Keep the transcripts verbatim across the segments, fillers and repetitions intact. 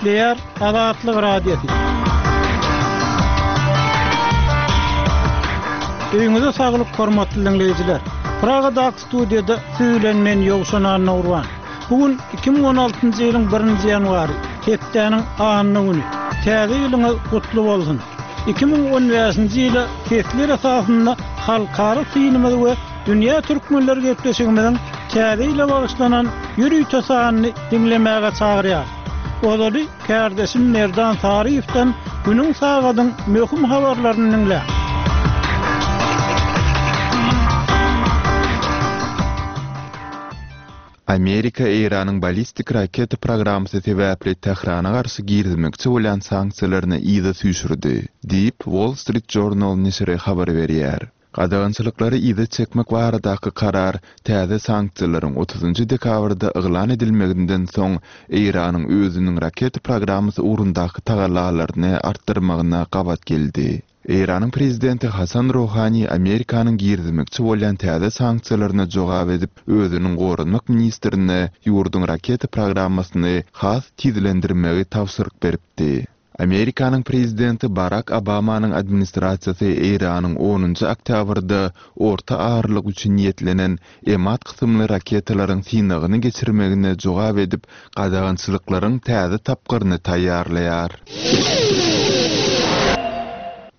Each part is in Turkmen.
Gepleýär Azatlyk Radiosy. Öýüňize saglyk hormatly diňleýjiler. Pragadaky studiýada siz bilen men Ýowşan Annagurban. Bu gün iki müň on altynjy ýylyň birinji ýanwary, hepdäniň anna güni. Täze ýylyňyz gutly bolsun. Iki müň on bäşinji ýyla sesler esasynda halkara synymyz we dünýä türkmenleri gepleşigimiziň täze ýyla bagyşlanan ýörite sanyny diňlemäge çagyrýar. Ozaly kärdeşim Merdan Saryýewden günüň sagadyň möhüm habarlaryny diňle. Amerika Eýranyň ballistik raketa programmasy sebäpli Tährana garşy girizmekçi bolýan sanksiýalaryny yza süýşürdi, diýip, Wall Street Journal neşiri habar berýär. Gadagançylyklary yza çekmek baradaky karar täze sanksiýalaryň otuzynjy dekabrda yglan edilmeginden soň Eýranyň özüniň raketa programmasy ugrundaky tagallalaryny artdyrmagyna gabat geldi. Eýranyň prezidenti Hasan Rohani Amerikanyň girizmekçi bolýan täze sanksiýalaryna jogap edip, özüniň goranmak ministrine ýurduň raketa programmasyny has tizlendirmegi tabşyryk beripdi. Amerikanyň prezidenti Barak Obamanyň administrasiýasy Eýranyň onunjy oktýabrda orta aralyk üçin niýetlenen Emad kysymly raketalaryň synagyny geçirmegine jogap edip, gadagançylyklaryň täze tapgyryny taýýarlaýar.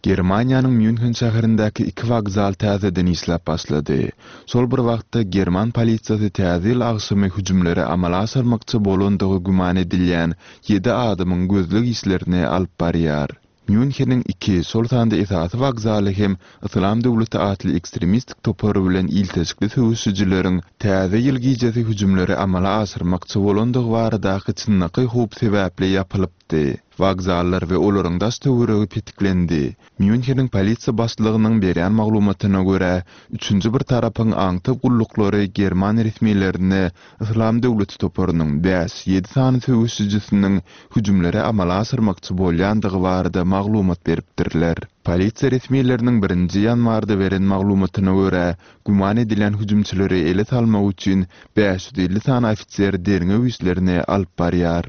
Germaniýanyň Mýunhen şäherindäki iki wokzal täzeden işläp başlady. Şol bir wagtda german polisiýasy täze ýyl agşamy hüjümleri amala aşyrmakçy bolandygy güman edilýän ýedi adamyň gözleg işlerini alyp barýar. Mýunheniň iki, şol sanda esasy wokzaly hem Yslam döwleti atly ekstremistik topary bilen ilteşikli söweşijileriň täze ýyl gijesi hüjümleri amala aşyrmakçy bolandygy baradaky çynlakaý howp sebäpli ýapylypdy. Wokzallar we olaryň daş töweregi petiklendi. Mýunheniň polisiýa başlygynyň berýän maglumatyna görä, üçünji bir tarapyň aňtaw gulluklary german resmilerine Yslam döwleti toparynyň bäş-ýedi sany söweşijisiniň hüjümleri amala aşyrmakçy bolýandygy barada maglumat beripdirler. Polisiýa resmileriniň birinji ýanwarda beren maglumatyna görä, güman edilen hüjümçileri ele salmak üçin bäş ýüz elli sany ofiser derňew işlerini alyp barýar.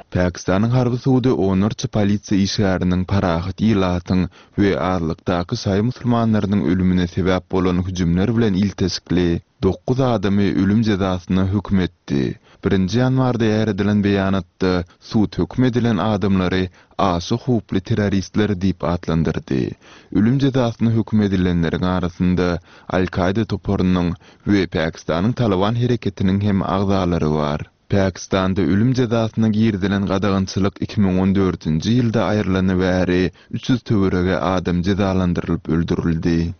Pakistanyň harby sudy onlarça polisiýa işgäriniň parahat ilatyň we azlykdaky şaýy musulmanlarynyň ölümine sebäp bolan hüjümler bilen ilteşikli dokuz adamy ölüm jezasyna höküm etdi. Birinji ýanwarda ýaýradylan beýanatda sud höküm edilen adamlary aşa howply terroristler diýip atlandyrdy. Ölüm jezasyna höküm edilenleriň arasynda Al-Kaida toparynyň we Pakistanyň Taliban hereketiniň hem agzalary bar. Pakistanda ölüm jezasyna girizilen gadagançylyk iki müň on dördünji ýylda aýrylany bäri üç ýüz töweregi adam jezalandyrylyp öldürildi.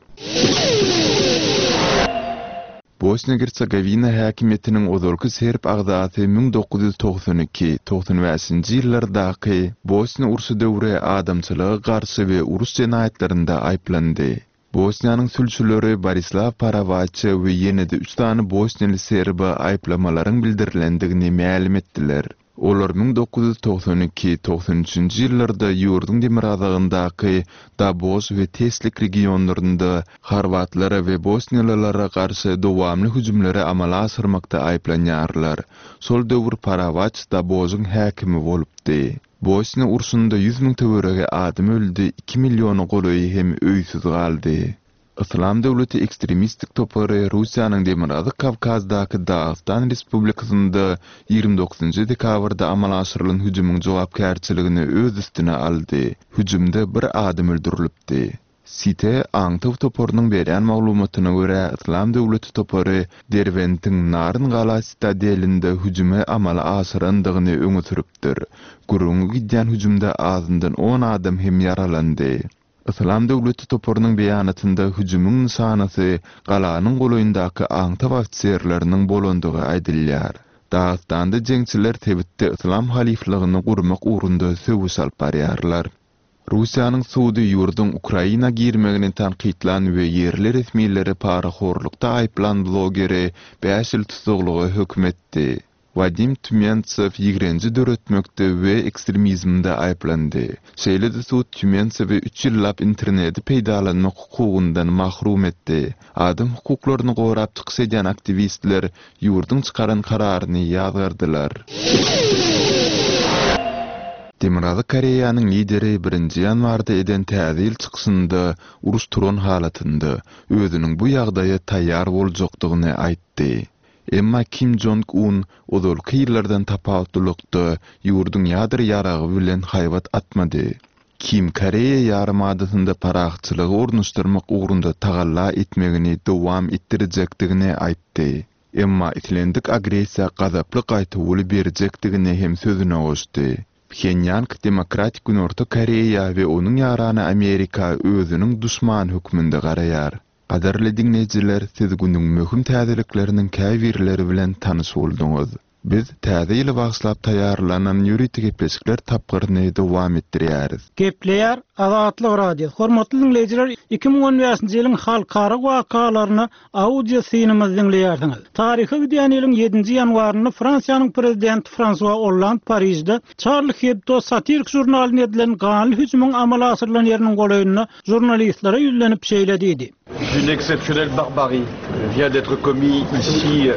Bosniýa-Gersegowina häkimiýetiniň ozalky serb agzasy müň dokuz ýüz togsan iki, togsan bäşinji ýyllardaky Bosniýa urşy döwri adamçylyga garşy we uruş jenaýatlarynda aýyplandy. Bosniýanyň sülçüleri Borislaw Parawaça we ýene-de üç sany bosniýaly serbe aýyplamalaryň bildirilendigini mälim etdiler. Olar müň dokuz ýüz togsan iki, togsan üçünji ýyllarda ýurduň demirgazygyndaky Dabož we Teslik regionlarynda horwatlara we bosniýalylara garşy dowamly hüjümleri amala aşyrmakda aýyplanýarlar. Şol döwür Parawaç Dabožyň häkimi bolupdy. Bosniýa urşunda ýüz müň töweregi adam öldi, iki milliona golaýy hem öýsüz galdy. Yslam döwleti ekstremistik topary Russiýanyň Demirgazyk Kawkazdaky Dagystan Respublikasynda ýigrimi dokuzynjy dekabrda amala aşyrylan hüjümiň jogapkärçiligini öz üstüne aldy. Hüjümde bir adam öldürilipdi. Site aňtaw toparynyň berýän maglumatyna görä, Yslam döwleti topary Derbentiň Naryn gala sitadelinde hüjümi amala aşyrandygyny öňe sürüpdir. Gürrüňi gidýän hüjümde azyndan on adam hem ýaralandy. Yslam döwleti toparynyň beýanatynda hüjümiň nyşanasy galanyň golaýyndaky aňtaw ofiserleriniň bolandygy aýdylýar. Dagystanda jeňçiler sebitde yslam halyflygyny gurmak ugrunda söweş alyp barýarlar. Russiýanyň sudy ýurduň Ukraina girmegini tankytlan we ýerli resmileri parahorlukda aýyplan blogeri bäş ýyl tussaglyga höküm etdi. Wadim Týumentsew ýigrenji döretmekde we ekstremizmde aýyplandy. Şeýle-de sud Týumentsewi üç ýyllap interneti peýdalanmak hukugyndan mahrum etdi. Adam hukuklaryny gorap çykyş edýän aktiwistler ýurduň çykaran kararyny ýazgardylar. Demirgazyk Koreýanyň lideri birinji ýanwarda eden Täze ýyl çykyşynda uruş turan halatynda özüniň bu ýagdaýa taýýar boljakdygyny aýtdy. Emma Kim Jong Un ozalky ýyllardan tapawutlylykda ýurduň ýadro ýaragy bilen haýbat atmady. Kim Koreýa ýarymadasynda parahatçylygy ornaşdyrmak ugrunda tagalla etmegini dowam etdirjekdigini aýtdy. Emma islendik agressiýa gazaply gaýtawuly berjekdigini hem sözüne goşdy. Phenýang Demokratik Günorta Koreýa we onuň ýarany Amerika özüniň duşmany hökmünde garaýar. Gadyrly diňleýjiler, siz günüň möhüm täzelikleriniň käbirleri bilen tanyş bolduňyz. Biz Täze ýyly bagyşlap taýýarlanan ýörite gepleşikler tapgyryny dowam etdirýäris. Gepleýär Azatlyk Radiosy. Hormatly diňleýjiler, iki müň on bäşinji ýylyň halkara wakalaryna audio synymyzy diňleýärsiňiz. Taryha gidýän ýylyň ýedinji ýanwarynda Fransiýanyň prezidenti Fransua Hollande Parižde Charlie Hebdo satirik žurnalyna edilen ganly hüjümiň amala aşyrylan ýeriniň golaýynda žurnalistlere ýüzlenip şeýle diýdi. Une exceptionnelle barbarie vient d'être commise ici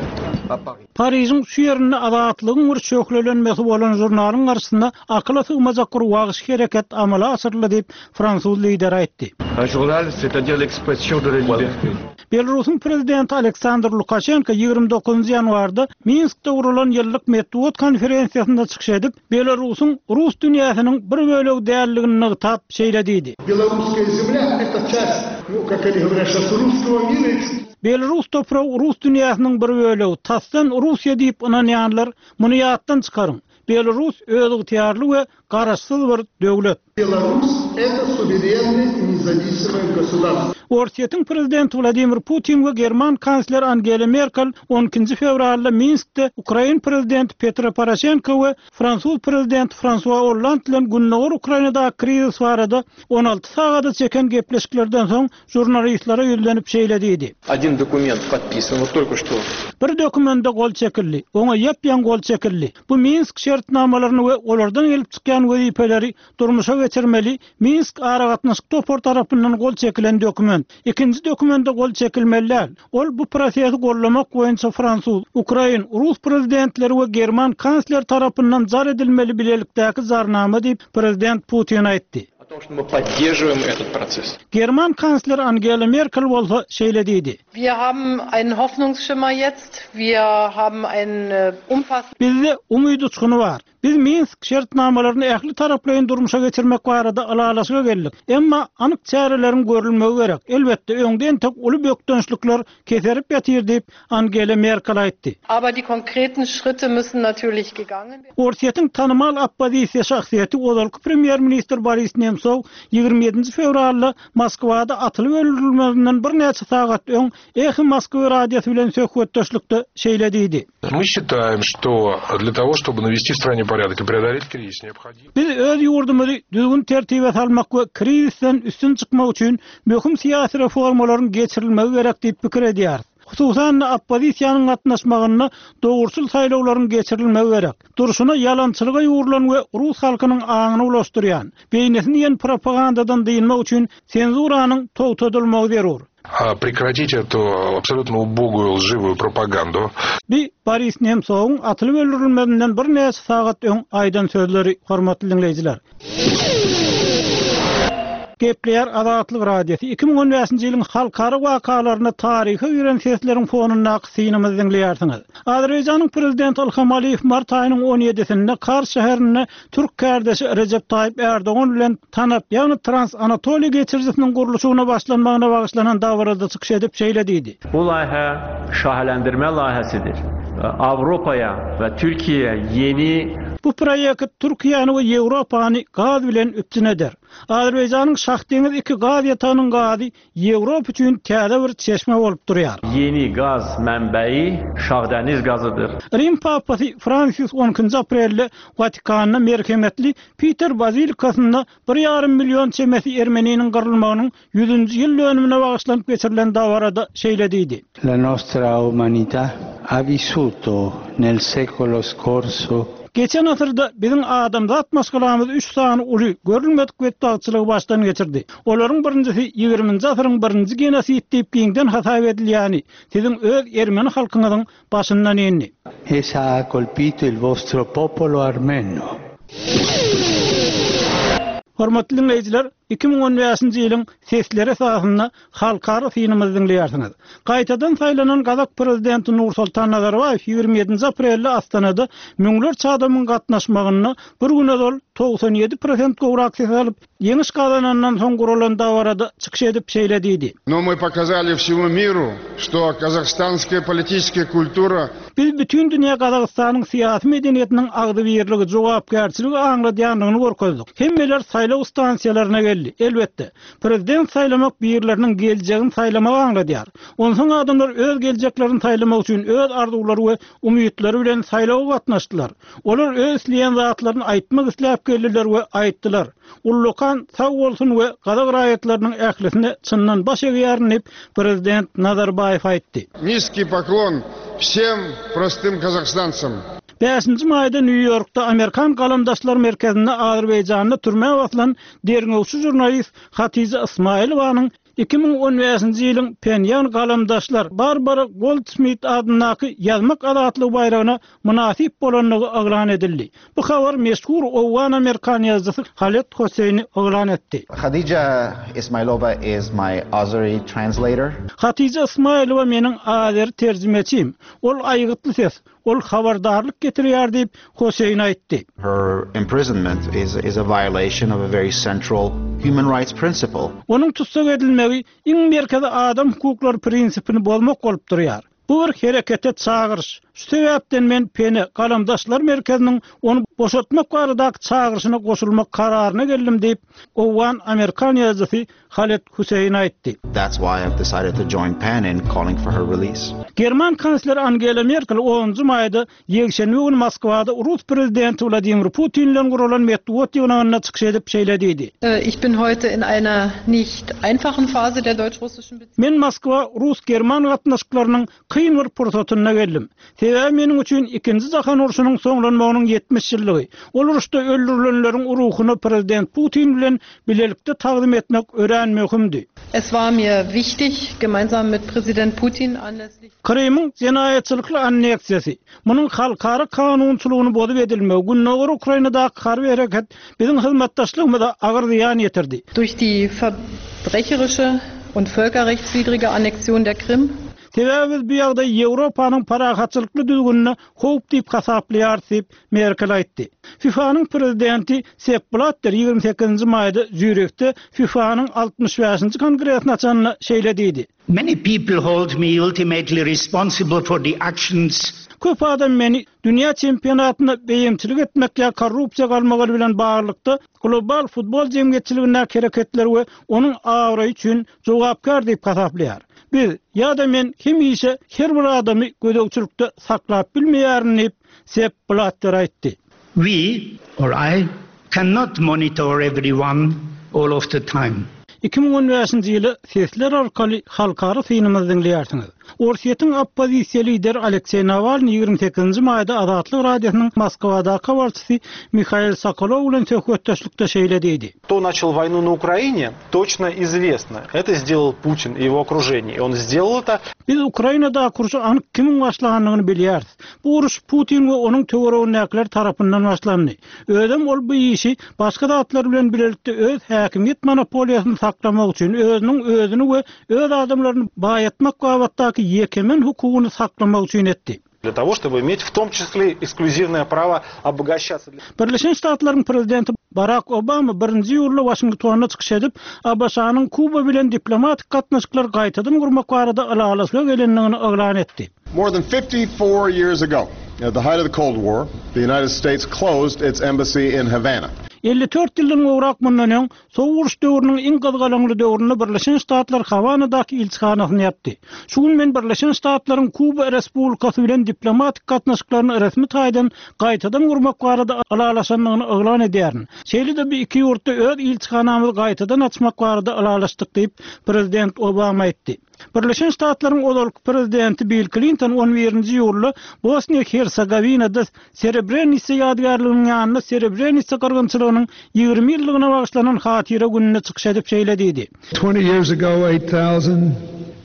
à Paris. Parižiň şu ýerinde azatlygyň bir şöhlelenmesi bolan žurnalyň garşysynda akyla sygmajak bir wagşy hereket amala aşyryldy diýip fransuz lideri aýtdy. Un journal, c'est-à-dire l'expression de la liberté. Belarusyň prezidenti Aleksandr Lukaşenko ýigrimi dokuzynjy ýanwarda Minskde guralan ýyllyk metbugat konferensiýasynda çykyş edip, Belarusyň rus dünýäsiniň bir bölegi däldigini nygtap şeýle diýdi. Белорусская земля это часть, ну, как они говорят сейчас, русского мира. Belarus topragy rus dünýäsiniň bir bölegi, tasdan Russiýa diýip ynanýanlar muny ýatdan çykaryň. Belarus özygtyýarly we garaşsyz bir döwlet. Belarus это суверенное и независимое государство. Orsýetiň prezidenti Wladimir Putin we German kansler Angela Merkel on ikinji fewralda Minskde Ukrain prezidenti Petro Poroshenko we fransuz prezidenti Fransua Hollande bilen Gündogar Ukrainadaky krizis barada on alty sagada çeken gepleşiklerden soň žurnalistlere ýüzlenip şeýle diýdi. Один документ подписан, вот только что. Bir dokumenta gol çekildi. Oňa ýapýan gol çekildi. Bu Minsk şertnamalaryny we olardan gelip çykýan wezipeleri durmuşa geçirmeli Minsk aragatnaşyk topar tarapyndan gol çekilen dokument. Ikinji dokumenta gol çekilmeli däl. Ol bu prosesi gollamak boýunça fransuz, ukrain, rus prezidentleri we german kansler tarapyndan jar edilmeli bilelikdäki zarnama diýip prezident Putin aýtdy. О том, что мы поддерживаем этот процесс. German kansler Angela Merkel bolsa şeýle diýdi. Wir haben einen Hoffnungsschimmer jetzt. Wir haben einen, äh, umfassenden Bizde umyt uçguny bar. Biz Minsk şertnamalaryny ähli taraplaýyn durmuşa geçirmek barada ylalaşyga geldik. Emma anyk çäreleriň görülmegi gerek. Elbetde öňden tek uly bökdençlikler keserip ýatyr diýip Angela Merkel aýtdy. Aber die konkreten Schritte müssen natürlich gegangen werden. Orsýetiň tanymal oppozisiýa şahsyýeti ozalky premýer-ministr Boris Nemtsov ýigrimi ýedinji fewralda Moskwada atylyp öldürilmeginden birnäçe sagat öň Eho Moskwa radiosy bilen söhbetdeşlikde şeýle diýdi. Мы считаем, что для того, чтобы навести в стране порядок и преодолеть кризис, необходимо Biz öz ýurdumyzy düzgün tertibe salmak we krizisden üstün çykmak üçin möhüm syýasy reformalaryň geçirilmegi gerek diýip pikir edýäris. Hususan oppozisiýanyň gatnaşmagynda dogruçyl saýlawlaryň geçirilmegi gerek. Durşuna ýalançylyga ýugrulan we rus halkynyň aňyny ulaşdyrýan, beýnisini ýen propagandadan dynmak üçin senzuranyň togtadylmagy zerur. А прекратить эту абсолютно убогую лживую пропаганду. Bi Boris Nemtsow'un atylyp öldürilmeginden birnäçe sagat öň aýdan sözleri hormatly diňleýjiler. Gepleýär Azatlyk Radiosy iki müň on bäşinji ýylyň halkara wakalaryna taryhy giren sesleriň fonundaky synymyzy diňleýärsiňiz. Azerbaýjanyň prezidenti Ilham Aliýew mart aýynyň on ýedisinde Kars şäherinde türk kardeşi Recep Tayyip Erdogan bilen TANAP, ýagny Trans Anatoliýa geçirijisiniň gurluşygyna başlanmagyna bagyşlanan dabarada çykyş edip şeýle diýdi. Bu layihə şaheləndirmə layihəsidir. Avropaya və Türkiye'ye yeni Bu proýekt Türkiýäni we Ýewropany gaz bilen üpjün eder. Azerbaýjanyň Şahdeňiz iki gaz ýatagynyň gazy Ýewropa üçin täze bir çeşme bolup durýar. Yeni gaz mənbəyi Şahdeniz gazıdır. Rim Papasy Fransis on ikinji aprelde Watikanda merhemetli Peter Bazilikasynda bir ýarym million çemesi ermeniniň gyrylmagynyň ýüzünji ýyl dönümine bagyşlanyp geçirilen dabarada şeýle diýdi. La nostra umanità ha vissuto nel secolo scorso Geçen asyrda biziň adamzat maşgalamyz üç sany uly görülmedik betbagtçylygy başdan geçirdi. Olaryň birinjisi ýigriminji asyryň birinji genosid diýip giňden hasap edilýäni, siziň öz ermeni halkyňyzyň başyndan indi. Essa ha colpito il vostro popolo armeno. Hormatly dinleýjiler, iki müň on bäşinji ýylyň sesleri esasynda halkara synymyzy dinleýärsiňiz. Gaýtadan saýlanan Gazak prezidenti Nursultan Nazarbaýew ýigrimi ýedinji aprelde Astanada müňlerçe adamyň gatnaşmagynda bir güne dol togsan ýedi prosent gowrak ses alyp, ýeňiş gazanandan soň guralan dabarada çykyş edip şeýle diýdi. Но мы показали всему миру, что казахстанская политическая культура Biz bütün dünýä Gazagystanyň syýasy medeniýetiniň agzybirligi, jogapkärçiligi aňladýandygyny görkezdik. Hemmeler saýlaw stansiýalaryna geldi. Elbetde, prezident saýlamak birleriniň geljegini saýlamagy aňladýar. Onsoň adamlar öz geljeklerini saýlamak üçin öz arzuwlary we umytlary bilen saýlawa gatnaşdylar. Olar öz isleýän zatlaryny aýtmak isläp geldiler we aýtdylar. Ullukan sag bolsun we gazak raýatlarynyň ählisine çyndan baş egýärin diýip prezident Nazarbaýew aýtdy. Низкий поклон всем простым казахстанцам. Bäşinji maýda Nýu-Ýorkda Amerikan Galamdaşlar Merkezinde Azerbaýjanda türmä basylan derňewçi jurnalist Hatija Ismailowanyň iki müň on bäşinji ýylyň Penýan Galamdaşlar Barbara Goldsmith adyndaky ýazmak azatlygy baýragyna mynasyp bolandygy yglan edildi. Bu habar meşhur Owgan Amerikan ýazyjysy Halet Hosseýni yglan etdi. Khadija Ismailova is my Azeri translator. Hatija Ismailova meniň Azeri terjimeçim. Ol aýgytly ses, ol habardarlyk getirýär diýip Hosseýn aýtdy. Her imprisonment is, is a violation of a very central human rights principle. Onuň tutsak edilmegi iň merkezi adam hukuklary prinsipini bozmak bolup durýar. Bu bir herekete çagyryş. Şu sebäpden men Pene Galamdaşlar Merkeziniň ony boşatmak baradaky çagyryşyna goşulmak kararyna geldim diýip Owgan Amerikan ýazyjysy Halet Hüseýin aýtdy. That's why I've decided to join PEN in calling for her release. German kansleri Angela Merkel onunjy maýda ýekşenbe güni Moskwada Rus prezidenti Wladimir Putin bilen guralan metbugat ýygnagynda çykyş edip şeýle diýdi. Äh, ich bin heute in einer nicht einfachen Phase der deutsch-russischen Beziehungen. Men Moskwa Rus-German gatnaşyklarynyň kyn bir pursatynda geldim. Sebäbi meniň üçin ikinji jahan urşunyň soňlanmagynyň ýetmiş ýyllygy. Ol uruşda öldürilenleriň ruhuny prezident Putin bilen bilelikde tagzym etmek örän möhümdi. Es war mir wichtig, gemeinsam mit Präsident Putin anlässlich Krymyň jenaýatçylykly anneksiýasy, munuň halkara kanunçylygyny bozup edilmegi, Gündogar Ukrainadaky harby hereket biziň hyzmatdaşlygymyza agyr zyýan ýetirdi. Durch die verbrecherische und völkerrechtswidrige Annexion der Krim Sebäbi biz bu ýagdaý Ýewropanyň parahatçylykly düzgünine howp diýip hasaplaýar diýip Merkel aýtdy. FIFA-nyň prezidenti Sepp Blatter ýigrimi sekizinji maýda Zürihde FIFA-nyň altmyş bäşinji kongresine açanyna şeýle diýdi. Many people hold me ultimately responsible for the actions. Köp adam meni dünýä çempionatynda beýemçilik etmek ýa korrupsiýa galmagy bilen baglylykda global futbol jemgyýetçiligindäki hereketler we onuň abraýy üçin jogapkär diýip hasaplaýar. Biz ýa-da men hemişe her bir adamy gözegçilikde saklap bilmeýärin diýip Sepp Blatter aýtdy. We or I cannot monitor everyone all of the time. Iki müň on bäşinji ýyly sesler arkaly halkara synymyzy dinleýärsiňiz. Orsýetiň oppozisiýa lideri Alekseý Nawalny ýigrimi sekizinji maýda Azatlyk Radiosynyň Moskwadaky habarçysy Mihail Sokolow bilen söhbetdeşlikde şeýle diýdi. Кто начал войну на Украине, точно известно. Это сделал Путин и его окружение. И он сделал это. Biz Ukrainada urşy anyk kimiň başlandygyny bilýäris. Bu uruş Putin we onuň töweregindäkiler tarapyndan başlandy. Özem ol bu işi başga zatlar bilen bilelikde öz häkimiýet monopoliýasyny saklamak üçin özüniň özüni we öz adamlaryny baýatmak babatdaky ýekemen hukugyny saklamak üçin etdi. Для того, чтобы иметь в том числе эксклюзивное право обогащаться. Birleşen Ştatlaryň prezidenti Barack Obama birinji iýulda Waşingtonda çykyş edip, A B Ş-nyň Kuba bilen diplomatik gatnaşyklar gaýtadan gurmak barada ylalaşyga gelendigini yglan etdi. More than fifty-four years ago, At the height of the Cold War, the United States closed its embassy in Havana. Elli dört ýyldan gowrak mundan öň, Sowuk uruş döwrüniň iň gyzgalaňly döwründe Birleşen Ştatlar Hawanadaky ilçihanasyny ýapdy. Şu gün men Birleşen Ştatlaryň Kuba Respublikasy bilen diplomatik gatnaşyklaryny resmi taýdan gaýtadan gurmak barada ylalaşandygyny yglan edýärin. Şeýle-de bu iki ýurtda öz ilçihanamyzy gaýtadan açmak barada ylalaşdyk diýip, prezident Obama aýtdy. Birleşen Ştatlaryň ozalky prezidenti Bill Klinton on birinji iýulda Bosniýa-Hersegowinada Srebrenitsa ýadygärliginiň ýanynda Srebrenitsa gyrgynçylygynyň ýigrimi ýyllygyna bagyşlanan hatyra gününde çykyş edip şeýle diýdi. Twenty years ago eight thousand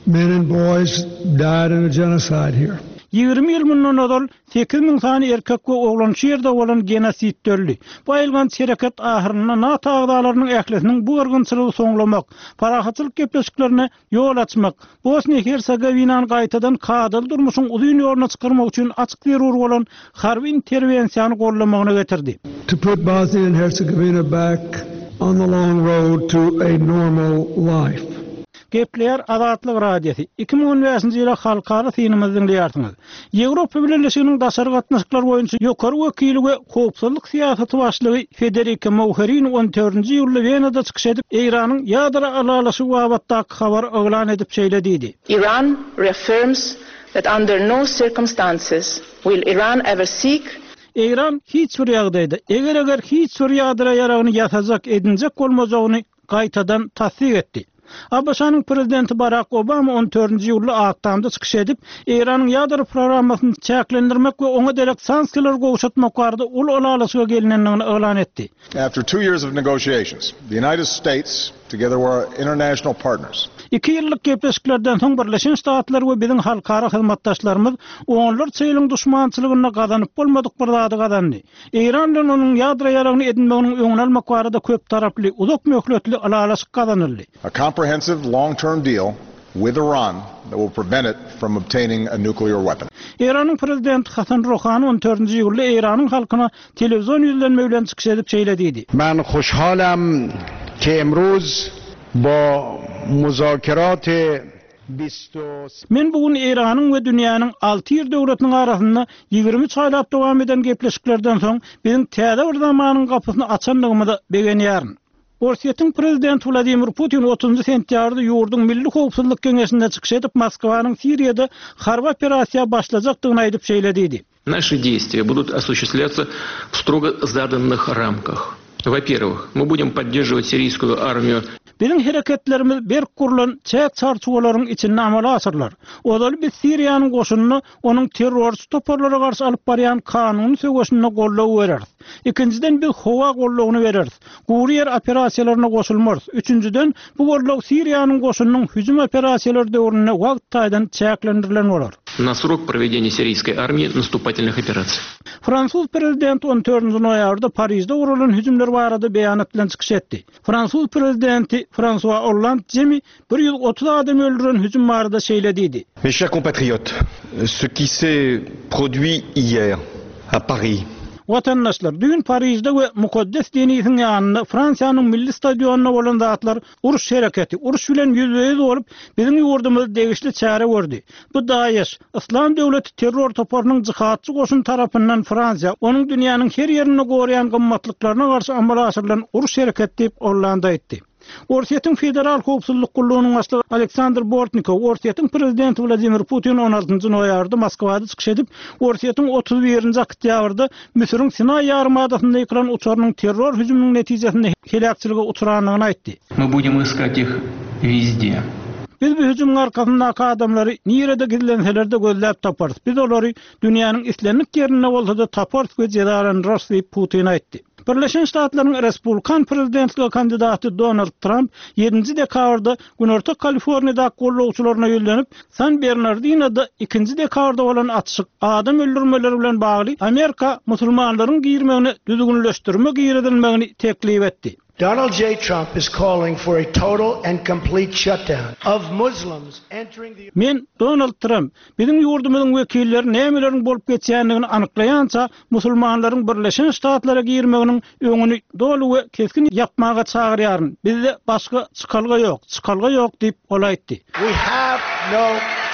men and boys died in a genocide here. Ýigrimi ýyl mundan ozal sekiz müň sany erkek we oglan şu ýerde bolan genosidde öldi. Bu aýylganç hereket ahyrynda NATO agzalarynyň ählisiniň bu gyrgynçylygy soňlamak, parahatçylyk gepleşiklerine ýol açmak, Bosniýa-Hersegowinany gaýtadan kadaly durmuşyň uzyn ýoluna çykarmak üçin açyk zerur bolan harby interwensiýany goldamagyna getirdi. To put Bosnia and Herzegovina back on the long road to a normal life. Gepleýär Azatlyk Radiosy. Iki müň on bäşinji ýyla halkara synymyzy diňleýärsiňiz. Ýewropa Bileleşiginiň daşary gatnaşyklar boýunça ýokary wekili we howpsuzlyk syýasaty başlygy Federika Mogherini on dördünji iýulda Wenada çykyş edip, Eýranyň ýadro ylalaşygy babatdaky habary yglan edip şeýle diýdi. Iran reaffirms that under no circumstances will Iran ever seek Eýran hiç bir ýagdaýda, eger-eger hiç bir ýadro ýaragyny ýasajak, edinjek bolmajagyny gaýtadan tassyk etdi. ABŞ-nyň prezidenti Barak Obama on dördünji iýulda Ak Tamda çykyş edip, Eýranyň ýadro programmasyny çäklendirmek we oňa derek sanksiýalary gowşatmak barada uly ylalaşyga gelinendigini yglan etdi. After two years of negotiations, the United States, together with our international partners, Iki ýyllyk gepleşiklerden soň Birleşen Ştatlar we biziň halkara hyzmatdaşlarymyz onlarça ýylyň duşmançylygynda gazanyp bolmadyk bir zady gazandy. Eýran bilen onuň ýadro ýaragyny edinmeginiň öňüni almak barada köp taraply, uzak möhletli ylalaşyk gazanyldy. A comprehensive long-term deal with Iran that will prevent it from obtaining a nuclear weapon. Eýranyň prezidenti Hasan Ruhani on dördünji iýulda Eýranyň halkyna telewizion ýüzlenme bilen çykyş edip şeýle diýdi. Men hoşhalam ki emruz ba muzakerat Men bu gün Eýranyň we dünýäniň alty ýer döwletiniň arasynda ýigrimi üç aýlap dowam eden gepleşiklerden soň biziň täze bir zamanyň gapysyny açandygymyza begenýärin. Orsýetiň prezidenti Wladimir Putin otuzynjy sentýabrda ýurduň Milli howpsuzlyk geňeşinde çykyş edip, Moskwanyň Siriýada harby operasiýa başlajakdygyny aýdyp şeýle diýdi. Наши действия будут осуществляться в строго заданных рамках. Во-первых, мы будем поддерживать сирийскую армию. Biziň hereketlerimiz berk gurlan çäk çarçuwalaryň içinde amala aşyrylar. Ozaly biz Siriýanyň goşunyny onuň terrorçy toparlara garşy alyp barýan kanuny söweşinde goldaw bereris. Ikinjiden biz howa goldawyny bereris. Gury ýer operasiýalaryna goşulmarys. Üçünjiden bu goldaw Siriýanyň goşunynyň hüjüm operasiýalary döwründe wagt taýdan çäklendirilen bolar. На срок проведения сирийской армии наступательных операций. Fransuz prezidenti on dördünji noýabrda Parijde guralan hüjümler barada beýanat bilen çykyş etdi. Fransuz prezidenti François Hollande jemi bir ýüz otuz adam öldüren hüjüm barada şeýle diýdi. Mes chers compatriotes, ce qui s'est produit hier à Paris. Watandaşlar, düýn Parijde we Mukaddes Denisiň ýanynda Fransiýanyň milli stadionynda bolan zatlar uruş hereketi, uruş bilen ýüzbe-ýüz bolup, biziň ýurdumyz degişli çäre gördi. Bu DAEŞ, Islam döwleti terror toparynyň jihatçy goşun tarapyndan Fransiýa, onuň dünýäniň her ýerinde goraýan gymmatlyklaryna garşy amala aşyrylan uruş hereketi diýip Hollande aýtdy. Orsýetiň Federal Howpsuzlyk gullugynyň başlygy Aleksandr Bortnikow, Orsýetiň prezidenti Wladimir Putin on altynjy noýabrda Moskwada çykyş edip, Orsýetiň otuz birinji oktýabrda Müsüriň Sinaý ýarymadasynda ýykylan uçarynyň terror hüjüminiň netijesinde heläkçilige uçrandygyny aýtdy. Мы будем искать их везде. Biz bu hüjümiň arkasyndaky adamlary nirede gizlenseler-de gözläp taparys. Biz olary dünýäniň islendik ýerinde bolsa-da taparys we jezalandyrarys diýip Putin aýtdy. Birleşen Ştatlaryň Respublikan prezidentlige kandidaty Donald Trump ýedinji dekabrda Günorta Kaliforniýada gollawçylaryna ýüzlenip, San Bernardinoda ikinji dekabrda bolan atyşyk adam öldürmeleri bilen bagly Amerika musulmanlaryň girmegini düzgünleşdirme girizilmegini teklip etdi. Donald J. Trump is calling for a total and complete shutdown of Muslims entering the Men Donald Trump, biziň ýurdumyzyň wekilleri nämeleriň bolup geçýändigini anyklaýança musulmanlaryň Birleşen Ştatlara girmeginiň öňüni doly we keskin ýapmaga çagyrýaryn. Bizde başga çykalga ýok, çykalga ýok diýip ol aýtdy. We have no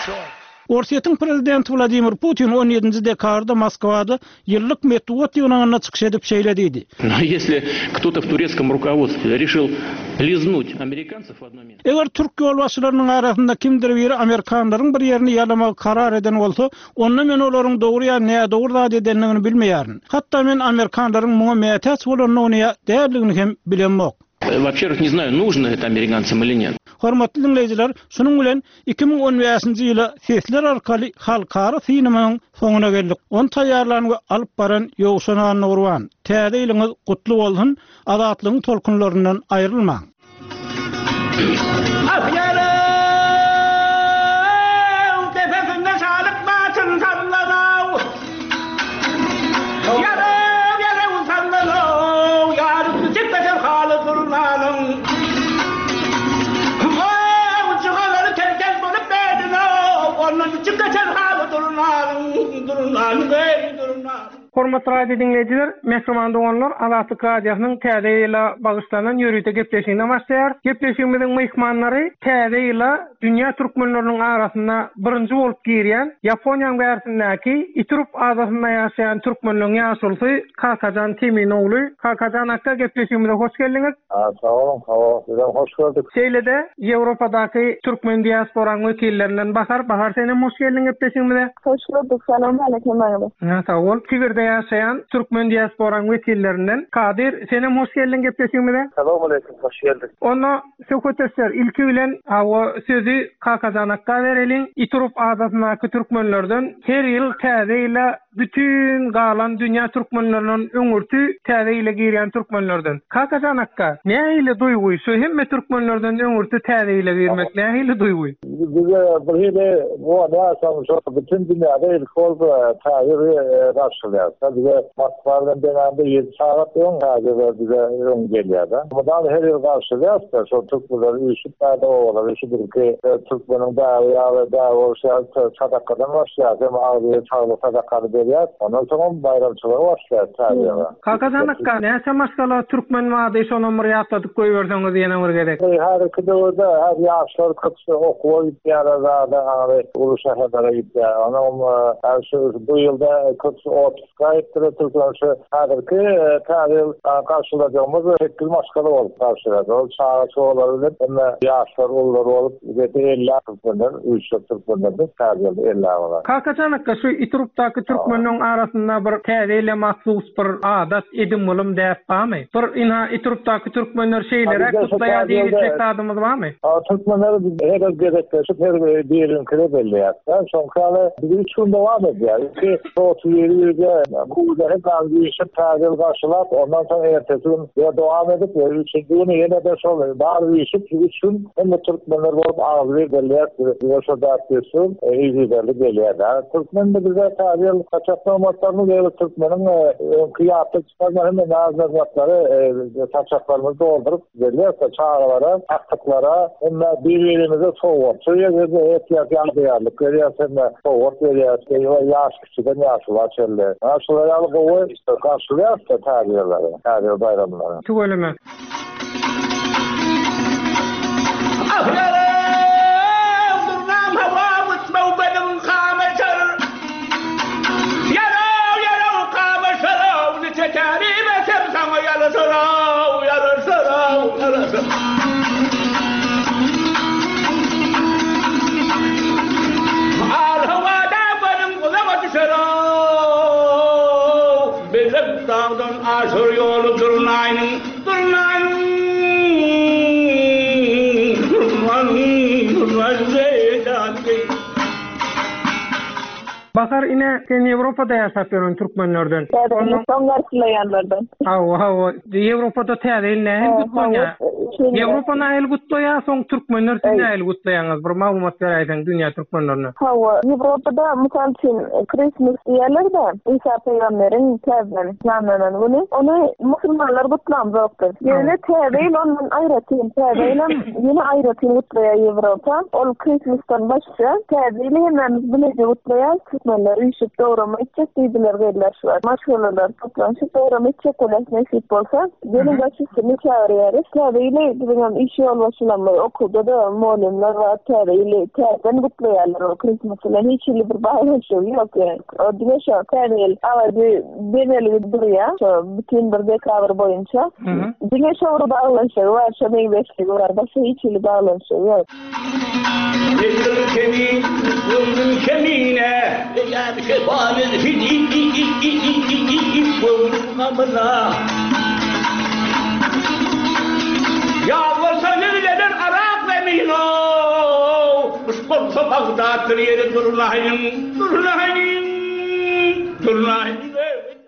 choice. Orsýetiň prezidenti Wladimir Putin on ýedinji dekabrda Moskwada ýyllyk metbugat ýygnagynda çykyş edip şeýle diýdi. Но если кто-то в турецком руководстве решил лизнуть американцев в одно место. Eger türk ýolbaşçylarynyň arasynda kimdir biri amerikanlaryň bir ýerini ýalamagy karar eden bolsa, onda men olaryň dogry ýa nädogry zat edendigini bilmeýärin. Hatda men amerikanlaryň muňa mätäç bolanyny ýa däldigini hem bilemok. Во-первых, не знаю, нужно это американцам или нет. Hormatly dinleýjiler, şunuň bilen iki müň on bäşinji ýyla sesler arkaly halkara synymyň soňuna geldik. On taýýarlan we alyp baran Ýowşan Annagurban. Täze ýylyňyz gutly bolsun, azatlygyň tolkunlaryndan aýrylmaň. Ah yarım, tepesinde sağlık batın sallanav. Yarım, yarım sallanav, yarım çıkmasın halı durmanın. Vav, çıkaları tel tel bolup bedinav, onun çıkmasın halı durmanın, durmanın, ey durmanın. Hormatly radio dinleýjiler, Mehriban doganlar, Azatlyk radiosynyň täze ýyla bagyşlanan ýörite gepleşigine başlaýar. Gepleşigimiziň myhmanlary täze ýyla dünýä türkmenleriniň arasynda birinji bolup girýän Ýaponiýanyň bärsindäki Iturup adasynda ýaşaýan türkmenleriň ýaşulysy Kakajan Teminogly. Kakajan akga gepleşigimize hoş geldiňiz. Ha, sag boluň, sag boluň. Sizem hoş gördük. Şeýle-de Ýewropadaky türkmen diasporanyň wekillerinden Bahar, Bahar senem hoş geldiň gepleşigimize. Hoş gördük. Salam aleyküm agam. Ha, sag bol. Sibirde ýaşaýan türkmen diasporanyň wekillerinden Kadir, senem hoş geldiň gepleşigimize. Salam aleyküm, hoş geldik. Onda söhbetdeşler ilki bilen hawa sözü Kakajan akga bereliň. Iturup adasyndaky türkmenlerden her ýyl täze ýyla bütün galan dünýä türkmenlerinden öňürti täze ýyla girýän türkmenlerden. Kakajan akga, nähili duýgy? Şu hemme türkmenlerden öňürti täze ýyla girmek nähili duýgy? Bize bir hili bu näsam şu bütün dünýäde ilk bolup täze ýyl garşylaýar. Bize Moskwa bilen deňände ýedi sagat öň täze ýyl bize öň gelýär-de. Bundan her ýyl garşylaýar-da, şu türkmenler üýşüp bärde owalar, üýşüp birki türkmeniň däbi ýaly däbi bolşy ýaly sadakadan başlaýar. Hem agzy saglyk sadakany berýär. Ondan soň baýramçylygy başlaýar täze ýyla. Kakajan akga, näçe maşgala türkmen bardy, şonam bir ýatladyp goýberseňiz ýene bir gezek. Häzirki döwürde her ýaşlar köpüsi okuwa gitýärler, zada aňry uly şäherlere gitýär. Onam her şu bu ýylda köpüsi otpuska gitdiler, türkmen şu häzirki täze ýyl garşylajagymyz sekiz maşgala bolup garşylaýar. Ol çaga çoğalar bilen hemme ýaşlar ulular bolup ýedi elli türkmenler, üç ýüz türkmenler täze ýylda elli bolar. Kakajan akga, şu Iturupdaky türkmenlerin arasynda bir täze ýyla mahsus bir adat edim bolum däp barmy? Bir ina Iturupdaky türkmenler şeýlere Abi, kutlaýar şu diýip täze ýylda zadymyz barmy? Aa, türkmenler biz her bir gezekleşip her bir birinkine belleýär. Soňky biz üç gün dowam edýär. Iki otuz ýedi ýylda bu da hep az işe täze ýyl garşylap, ondan soň ertesi gün ýa dowam edip, ýa üçünji güni ýene de şol bar işip üç gün hem türkmenler bolup agzy belleýär. Bize şo däp destur, e, yzygiderli gelýär. Türkmen de bize täze ýyl saçaklarymyzy we türkmeniň, e, öňki ýatda çykarma hem naz-nygmatlary, e, saçaklarymyzy dolduryp berýär çagalara, aktyplara, hem bir-birimize sowgat. Şu ýerde et ýa ýarlyk berýär, hem sowgat berýär. Ýaş kiçiden ýaşlar çelle. Ha, şular ýaly gowy garşylaýar täze ýyllary, täze ýyl baýramlary. Tüweleme. Ah yarım, durnam hava uçma benim kameşer. Yarav, yarav, kameşer, niçe terime sem sana yarışır, yarışır, yarışır. Al havada benim kulağıma düşer, Bizim dağdan aşır yolu durnayın, durnayın, durnayın, durnayın, zeydan. Bahar ine sen Ýewropada ýaşap ýören türkmenlerden. Täze ýyl soň garşylaýanlardan. Hawa, hawa. Ýewropada täze ýyl nähili Hawa, gutlanýar? hawa, şeýle. Ýewropa nähili gutlaýar, soň türkmenler siz Ey. nähili gutlaýaňyz? Bir maglumat beräýseň dünýä türkmenlerine. Hawa, Ýewropada mysal üçin Christmas diýerler-de, Isa peýgamberiň täzeden ýanlanan güni, ony musulmanlar gutlamzokdyr. Ýöne täze ýyl ondan aýratyn, täze ýyl hem ýene aýratyn gutlaýar Ýewropa. Ol Christmasdan başga täze ýyly hemmämiz bileje gutlaýar. Türkmenler üýşüp dograma etjek diýdiler geldiler şu wagt. Maşgalalar toplanyşyp dograma etjek bolan nesip bolsa, gelin Hı hı. baş üstüne çağırýarys. Täze ýyly Ähli biziňem iş ýolbaşçylarymyz okuwda-da mugallymlar bar, Täze ýyly täzeden gutlaýarlar, o Christmas bilen hiç hili bir baglanyşygy ýok ýöne. O diňe şo Täze ýyl agajy bezelgi durýar, şo bütin bir dekabr boýunça. Diňe şo bir baglanyşygy bar, şo meňzeşligi bar, başga hiç hili baglanyşygy ýok.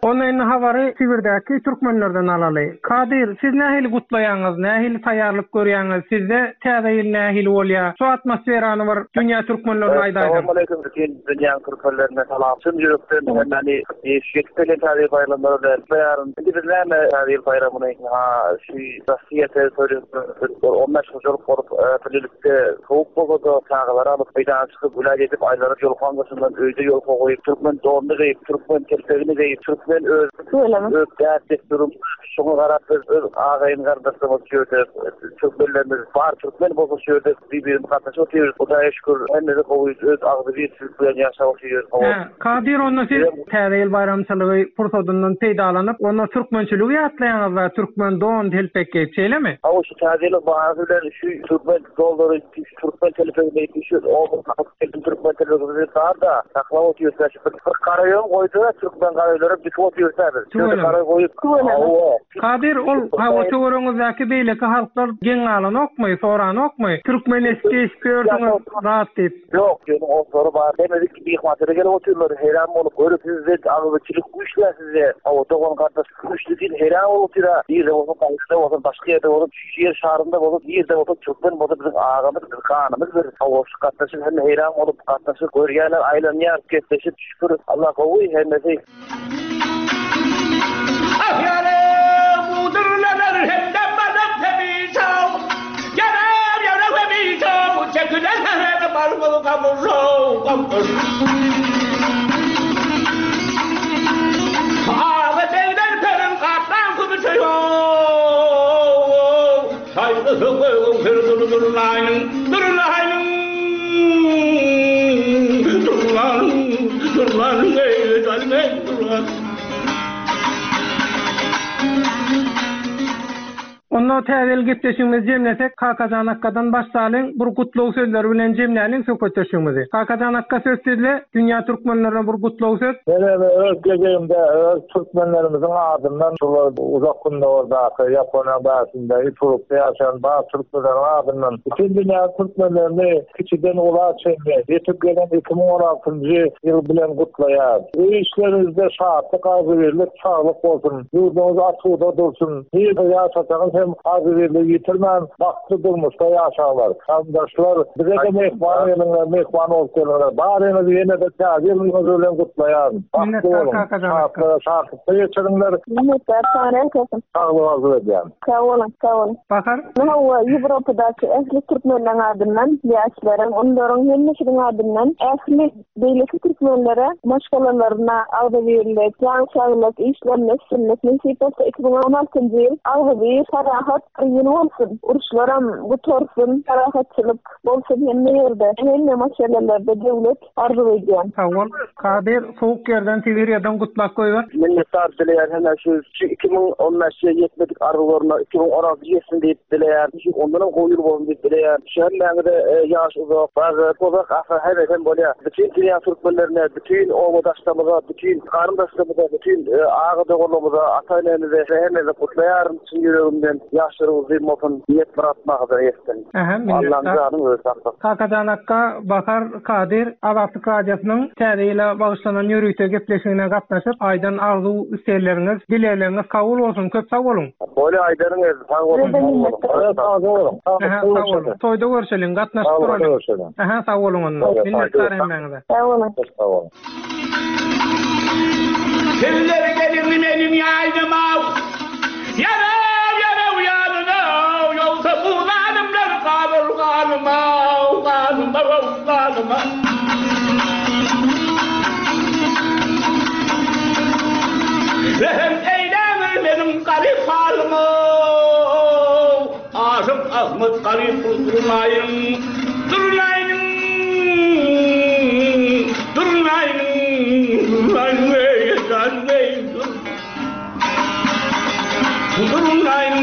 Onda indi habary Sibirdäki türkmenlerden alaly. Kadyr, siz nähili gutlaýaňyz, nähili taýýarlyk görýäňiz, sizde Täze ýyl nähili bolýar? Şu atmosferany bir dünýä türkmenlerine aýdaýdyň. Assalamualaikum bütün dünýäň türkmenlerine salam. Çyn ýürekden hemmäni ýetip gelen Täze ýyl baýramlary bilen gutlaýaryn. Indi biz näme Täze ýyl baýramyny ha şu Russiýa territoriýasynda on bäş hojalyk bolup, birlikde sowuk bolsa-da çagalary alyp meýdana çykyp güläý edip aýlanyp ýolkan daşyndan öýde ýolka goýup türkmen donuny geýip, türkmen telpegini geýip, türkmen öz öz däp-dessurym şoňa garap biz öz agaýyn gardaşlarymyz şu ýerde türkmenlerimiz bar, türkmen bolsa şu ýerde bir-birimiz gatnaşyp otyrys. Hudaýa şükür hemmesi gowy, öz agzybirçilik bilen ýaşap otyrys. Hä, Kadyr onda siz Täze ýyl baýramçylygy pursadyndan peýdalanyp, onda türkmençiligi ýatlaýaňyz-da, türkmen don telpek geýip, şeýlemi? Hawa, şu Täze ýylyň bahanasy bilen şu türkmen donlary, şu türkmen telpegini geýip, şu oba türkmen telpegini bar-da, saklap otyrys. Şu bir garaýon goýdy-da, türkmen garaýlary dikip otyrys biz. Şöyle garaý goýup, hawa. Kadyr, ol hawa töweregiňizdäki beýleki halklar geň galanokmy, soranokmy? Türkmen eski eski gördüňiz zat diýip. Ýok, ýöne oslary bar. Hemmedik myhmançylyga gelip otyrlar, heýran bolup görüp sizde agzybirçilik güýçli sizde. Hawa, dogan gardaş güýçli diýip heýran bolup otyr. Nirde bolsa, Parisde bolsa, başga ýerde bolsa, şu ýer şarynda bolsa, nirde bolsa türkmen bolsa biziň agamyz, biziň kanymyz bir. Hawa, şu gatnaşyk hemme heýran bolup gatnaşyk görýärler, aýlanýar, gepleşip şükür Allah gowy hemmesi. Onda Täze ýyl gepleşigimizi jemlesek, Kakajan akkadan başlalyň, bir gutlag sözleri bilen jemläliň söhbetdeşligimizi. Kakajan akka söz sizde, dünýä türkmenlerine bir gutlag söz. Men öz gezegimde öz türkmenlerimizin adyndan şular uzak gündogardaky Ýaponiýa bäsinde Ipurukda ýaşaýan bar türkmenleriň adyndan bütün dünýä türkmenlerini kiçiden ula çenli ýetip gelen iki müň on altynjy ýyl bilen gutlaýar. Öý işlerinizde şatlyk, agzybirlik, saglyk bolsun. Ýurduňyz asuda dursun. Nirde ýaşasaňyz hem agzybirligi ýitirmän bagtly durmuşda ýaşaňlar. Garyndaşlar, bize-de mehman geliňler, mehman bolup geliňler. Baryňyzy ýene-de Täze ýylyňyz bilen gutlaýaryn. Bagtly Minnetdar boluň. Kakajan akka. Şatlyga, şatlykda geçiriňler. Minnetdar, sag bolun. Saglyk arzuw edýän. Sag bolun, sag bolun. Bahar? Hawa, Ýewropadaky ähli türkmenleriň adyndan, ýaşlaryň, onlaryň hemmesiniň adyndan ähli beýleki türkmenlere maşgalalaryna agzybirlik, jan saglyk, işlerine üstünlik nesip bolsa iki müň on altynjy ýyl agzybir, parahat bir ýyl bolsun. Uruşlaram gutarsyn, parahatçylyk bolsun hemme ýerde, hemme maşgalalarda döwlet arzuw edýän. Sag bol. Kadyr, sowuk ýerden Sibirýadan gutlak goýber. Minnetdar dileýän hemme şu, şu iki müň on bäşe ýetmedik arzuwlaryna iki müň on alty ýetsin diýip dileýän. Şu ondan gowy ýyl bolsun diýip dileýän. Şu hemmäňize, e, ýaş uzak, bagy, uzak ahyr hemme hem bolýar. Bütün dünýä türkmenlerine, bütün obadaşlarymyza, bütün garyndaşlarymyza, bütün, e, aga doganlarymyza, ata-enemize hemmemize gutlaýaryn çyn ýüregimden. Ýaşlar uzyn bolsun, niýet myrat maksada ýetsin. Aha, Allah'ın minnetdar. janyny öz saklasyn. Kakajan akka, Bahar Kadyr, Azatlyk Radiosynyň Täze ýyla bagyşlanan ýörite gepleşigine gatnaşyp, aýdan arzuw islegleriňiz, dilegleriňiz kabul bolsun. Köp sag boluň. Bolýar, aýdaryň öz, sag boluň. Sag boluň. Aha, sag boluň. Toýda görşeliň, gatnaşyp Sag boluň, duralyň. görşeliň. Aha, sag boluň onda. Sag boluň. Minnetdar hemmäňize. Sag boluň. Sag boluň. Sizler gelin benim yaynıma. Yarav, yarav yanına. Yoksa bu zalimler kalır kanıma, kanıma, kanıma. Rehm eylemir benim garip halıma. Aşyk Ahmet Garyp Durnaýyň Durnaýyň Durnaýyň Durnaýyň eý jan eý Durnaýyň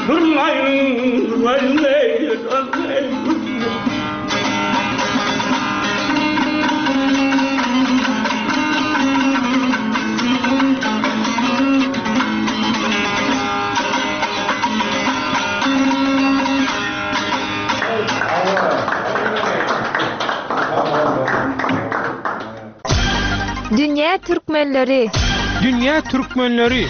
Durnaýyň Durnaýyň eý jan eý Dünýä türkmenleri. Dünýä türkmenleri.